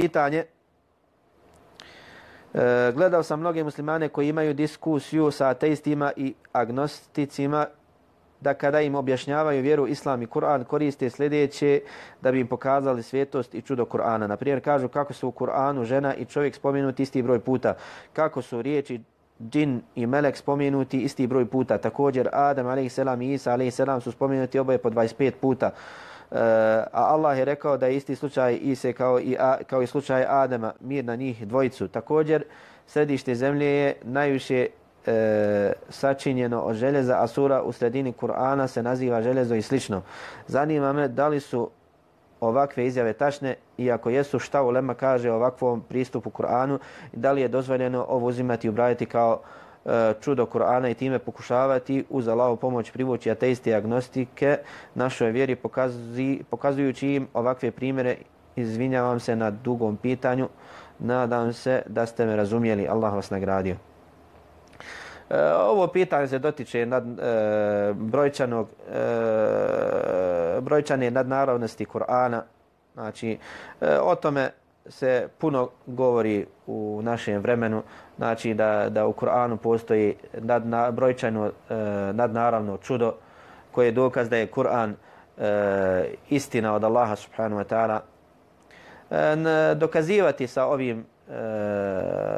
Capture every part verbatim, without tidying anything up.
pitanje. E, gledao sam mnoge muslimane koji imaju diskusiju sa ateistima i agnosticima da kada im objašnjavaju vjeru, islam i Kur'an koriste sljedeće da bi im pokazali svetost i čudo Kur'ana. Naprimjer, kažu kako su u Kur'anu žena i čovjek spomenuti isti broj puta, kako su riječi džin i melek spomenuti isti broj puta. Također Adam alejhi i Isa alejhi su spomenuti oboje po dvadeset pet puta. Uh, a Allah je rekao da je isti slučaj Ise kao i, a, kao i slučaj Adama, mir na njih dvojicu. Također, središte zemlje je najviše e, sačinjeno od željeza, a sura u sredini Kur'ana se naziva željezo i slično. Zanima me da li su ovakve izjave tačne i ako jesu, šta ulema kaže o ovakvom pristupu Kur'anu i da li je dozvoljeno ovo uzimati i ubrajati kao e, čudo Kur'ana i time pokušavati uz Allahovu pomoć privući ateiste i agnostike našoj vjeri pokazi, pokazujući im ovakve primjere. Izvinjavam se na dugom pitanju. Nadam se da ste me razumjeli. Allah vas nagradio. E, ovo pitanje se dotiče nad, e, brojčanog, e, brojčane nadnaravnosti Kur'ana. Znači, e, o tome se puno govori u našem vremenu. Znači, da, da u Kur'anu postoji nadna, brojčano e, nadnaravno čudo koje je dokaz da je Kur'an e, istina od Allaha subhanahu wa ta'ala. E, dokazivati sa ovim e,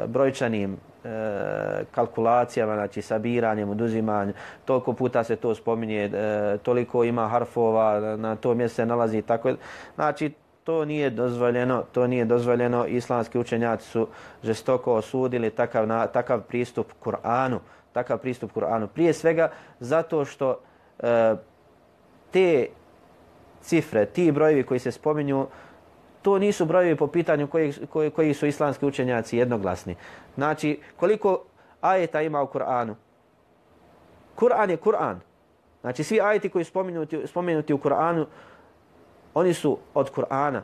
brojčanim e, kalkulacijama, znači sabiranjem, oduzimanjem, toliko puta se to spominje, e, toliko ima harfova, na, na tom mjestu se nalazi tako. Znači, to nije dozvoljeno, to nije dozvoljeno. Islamski učenjaci su žestoko osudili takav, na, takav pristup Kur'anu, takav pristup Kur'anu. Prije svega zato što e, te cifre, ti brojevi koji se spominju, to nisu brojevi po pitanju koji, koji, koji su islamski učenjaci jednoglasni. Znači, koliko ajeta ima u Kur'anu? Kur'an je Kur'an. Znači, svi ajeti koji su spomenuti, spomenuti u Kur'anu, oni su od Kur'ana.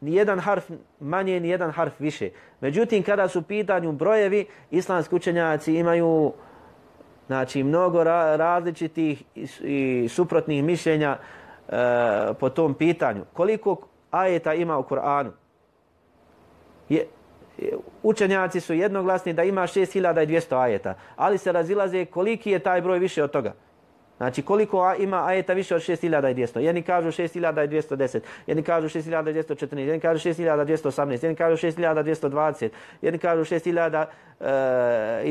Nijedan harf manje, nijedan harf više. Međutim, kada su u pitanju brojevi, islamski učenjaci imaju znači, mnogo ra različitih i, i suprotnih mišljenja e, po tom pitanju. Koliko ajeta ima u Kur'anu? Je, učenjaci su jednoglasni da ima šest hiljada dvjesto ajeta, ali se razilaze koliki je taj broj više od toga. Znači koliko ima ajeta više od šest hiljada dvjesto. Jedni kažu šest hiljada dvjesto deset, jedni kažu šest hiljada dvjesto četrnaest, jedni kažu šest hiljada dvjesto osamnaest, jedni kažu šest hiljada dvjesto dvadeset, jedni kažu šest hiljada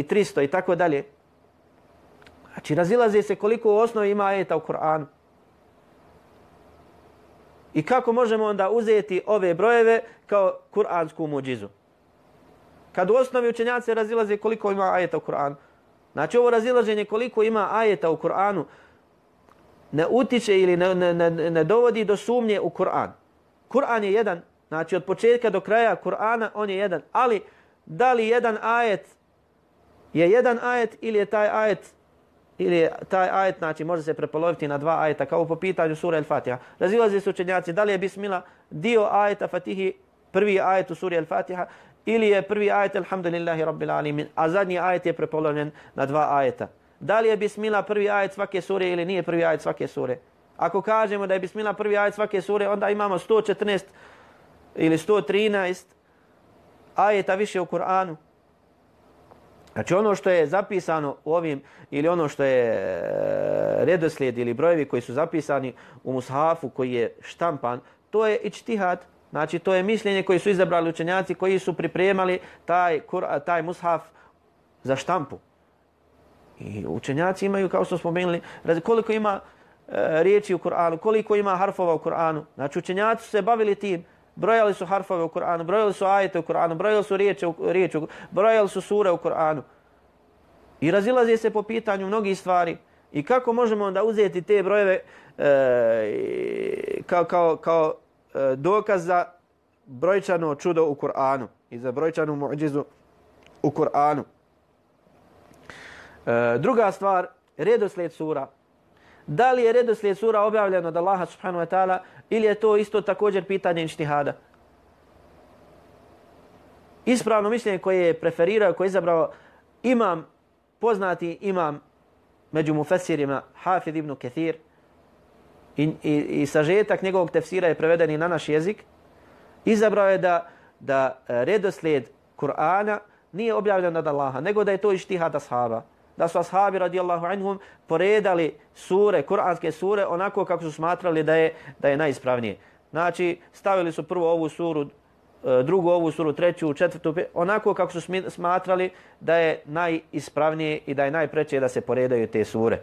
tristo i tako dalje. Znači razilaze se koliko u osnovi ima ajeta u Kur'anu. I kako možemo onda uzeti ove brojeve kao kur'ansku muđizu? Kad u osnovi učenjaci razilaze koliko ima ajeta u Kur'anu. Znači ovo razilaženje koliko ima ajeta u Kur'anu ne utiče ili ne, ne, ne, ne dovodi do sumnje u Kur'an. Kur'an je jedan, znači od početka do kraja Kur'ana on je jedan. Ali da li jedan ajet je jedan ajet ili je taj ajet ili je taj ajet, znači može se prepoloviti na dva ajeta kao po pitanju sura El-Fatiha. Razilaze se učenjaci da li je Bismillah dio ajeta Fatihi prvi ajet u suri El-Fatiha ili je prvi ajet Alhamdulillahi Rabbil Alamin, a zadnji ajet je prepolovljen na dva ajeta. Da li je Bismillah prvi ajet svake sure ili nije prvi ajet svake sure? Ako kažemo da je Bismillah prvi ajet svake sure, onda imamo sto četrnaest ili sto trinaest ajeta više u Kur'anu. Znači ono što je zapisano u ovim ili ono što je redoslijed ili brojevi koji su zapisani u mushafu koji je štampan, to je ičtihad. Znači to je mišljenje koji su izabrali učenjaci koji su pripremali taj, taj mushaf za štampu. I učenjaci imaju, kao što smo spomenuli, koliko ima e, riječi u Kur'anu, koliko ima harfova u Kur'anu. Znači učenjaci su se bavili tim. Brojali su harfove u Kur'anu, brojali su ajete u Kur'anu, brojali su riječi u, riječi, brojali su sure u Kur'anu. I razilaze se po pitanju mnogih stvari. I kako možemo onda uzeti te brojeve e, kao, kao, kao e, dokaz za brojčano čudo u Kur'anu i za brojčanu muđizu u Kur'anu. E, druga stvar, redoslijed sura. Da li je redoslijed sura objavljen od Allaha subhanahu wa ta'ala ili je to isto također pitanje ijtihada? Ispravno mišljenje koje je preferirao, koje je izabrao imam, poznati imam među mufesirima Hafid ibn Kathir i, i, i sažetak njegovog tefsira je preveden i na naš jezik. Izabrao je da da redoslijed Kur'ana nije objavljen od Allaha, nego da je to ištihad ashaba. Da su ashabi radijallahu anhum poredali sure, kuranske sure, onako kako su smatrali da je, da je najispravnije. Znači, stavili su prvo ovu suru, drugu ovu suru, treću, četvrtu, onako kako su smatrali da je najispravnije i da je najpreće da se poredaju te sure.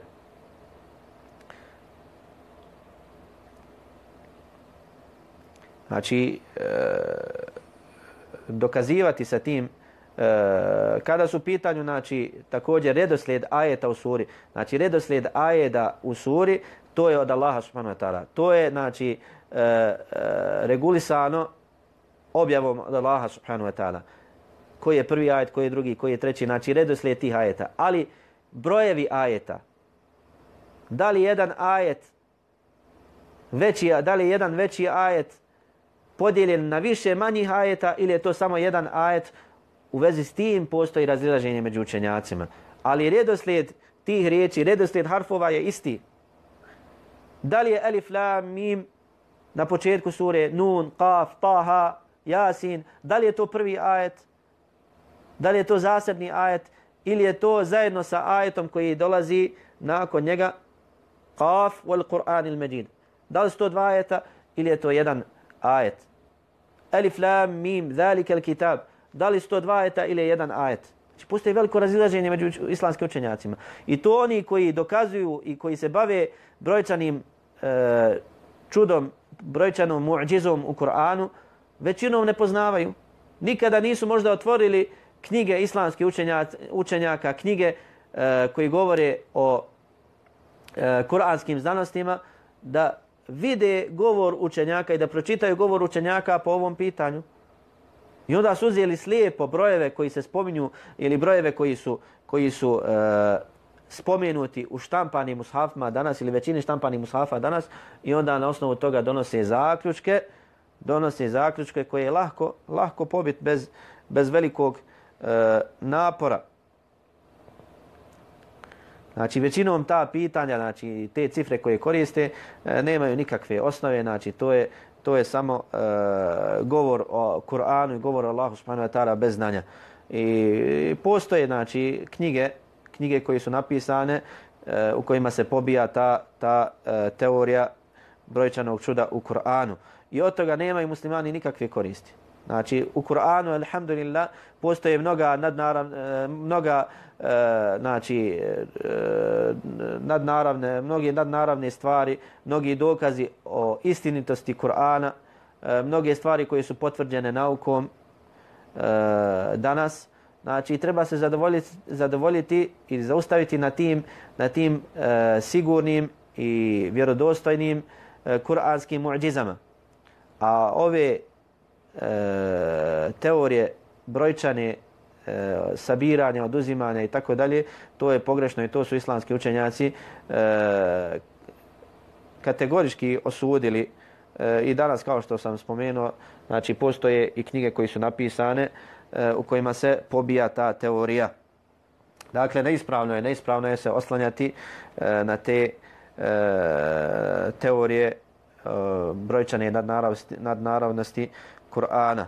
Znači, e, dokazivati sa tim, e, kada su u pitanju, znači, također redoslijed ajeta u suri, znači, redoslijed ajeta u suri, to je od Allaha subhanahu wa ta'ala. To je, znači, e, e, regulisano objavom od Allaha subhanahu wa ta'ala. Koji je prvi ajet, koji je drugi, koji je treći, znači, redoslijed tih ajeta. Ali, brojevi ajeta, da li jedan ajet veći, da li jedan veći ajet podijeljen na više manjih ajeta ili je to samo jedan ajet, u vezi s tim postoji razilaženje među učenjacima. Ali redoslijed tih riječi, redoslijed harfova je isti. Da li je alif, lam, mim na početku sure, nun, qaf, taha, jasin, da li je to prvi ajet, da li je to zasebni ajet ili je to zajedno sa ajetom koji dolazi nakon njega, qaf wal Qur'an il Majid. Da li su to dva ajeta ili je to jedan ajet. Alif, lam, mim, zalika al-kitab. Da li su to dva ajeta ili jedan ajet. Znači, postoji veliko razilaženje među islamskim učenjacima. I to oni koji dokazuju i koji se bave brojčanim e, čudom, brojčanom mu'đizom u Kur'anu, većinom ne poznavaju. Nikada nisu možda otvorili knjige islamskih učenjaka, učenjaka knjige e, koji govore o e, kur'anskim znanostima, da vide govor učenjaka i da pročitaju govor učenjaka po ovom pitanju. I onda su uzeli slijepo brojeve koji se spominju ili brojeve koji su, koji su e, spomenuti u štampanim mushafima danas ili većini štampanih mushafa danas i onda na osnovu toga donose zaključke, donose zaključke koje je lahko, lahko pobit bez, bez velikog e, napora. Znači, većinom ta pitanja, znači te cifre koje koriste, e, nemaju nikakve osnove, znači to je, to je samo e, govor o Kur'anu i govor o Allahu subhanahu wa ta'ala bez znanja. I postoje, znači, knjige, knjige koje su napisane e, u kojima se pobija ta, ta e, teorija brojčanog čuda u Kur'anu. I od toga nemaju muslimani nikakve koristi. Znači, u Kur'anu, alhamdulillah, postoje mnoga nadnaravne, mnoga, e, znači, e, nadnaravne, mnoge nadnaravne stvari, mnogi dokazi o istinitosti Kur'ana, e, mnoge stvari koje su potvrđene naukom e, danas. Znači, treba se zadovoljiti, zadovoljiti i zaustaviti na tim, na tim e, sigurnim i vjerodostojnim e, kur'anskim mu'đizama. A ove E, teorije brojčane, e, sabiranja, oduzimanja i tako dalje, to je pogrešno i to su islamski učenjaci e, kategorički osudili e, i danas, kao što sam spomenuo, znači postoje i knjige koje su napisane e, u kojima se pobija ta teorija. Dakle, neispravno je, neispravno je se oslanjati e, na te e, teorije e, brojčane nadnaravnosti, nadnaravnosti Kur'ana.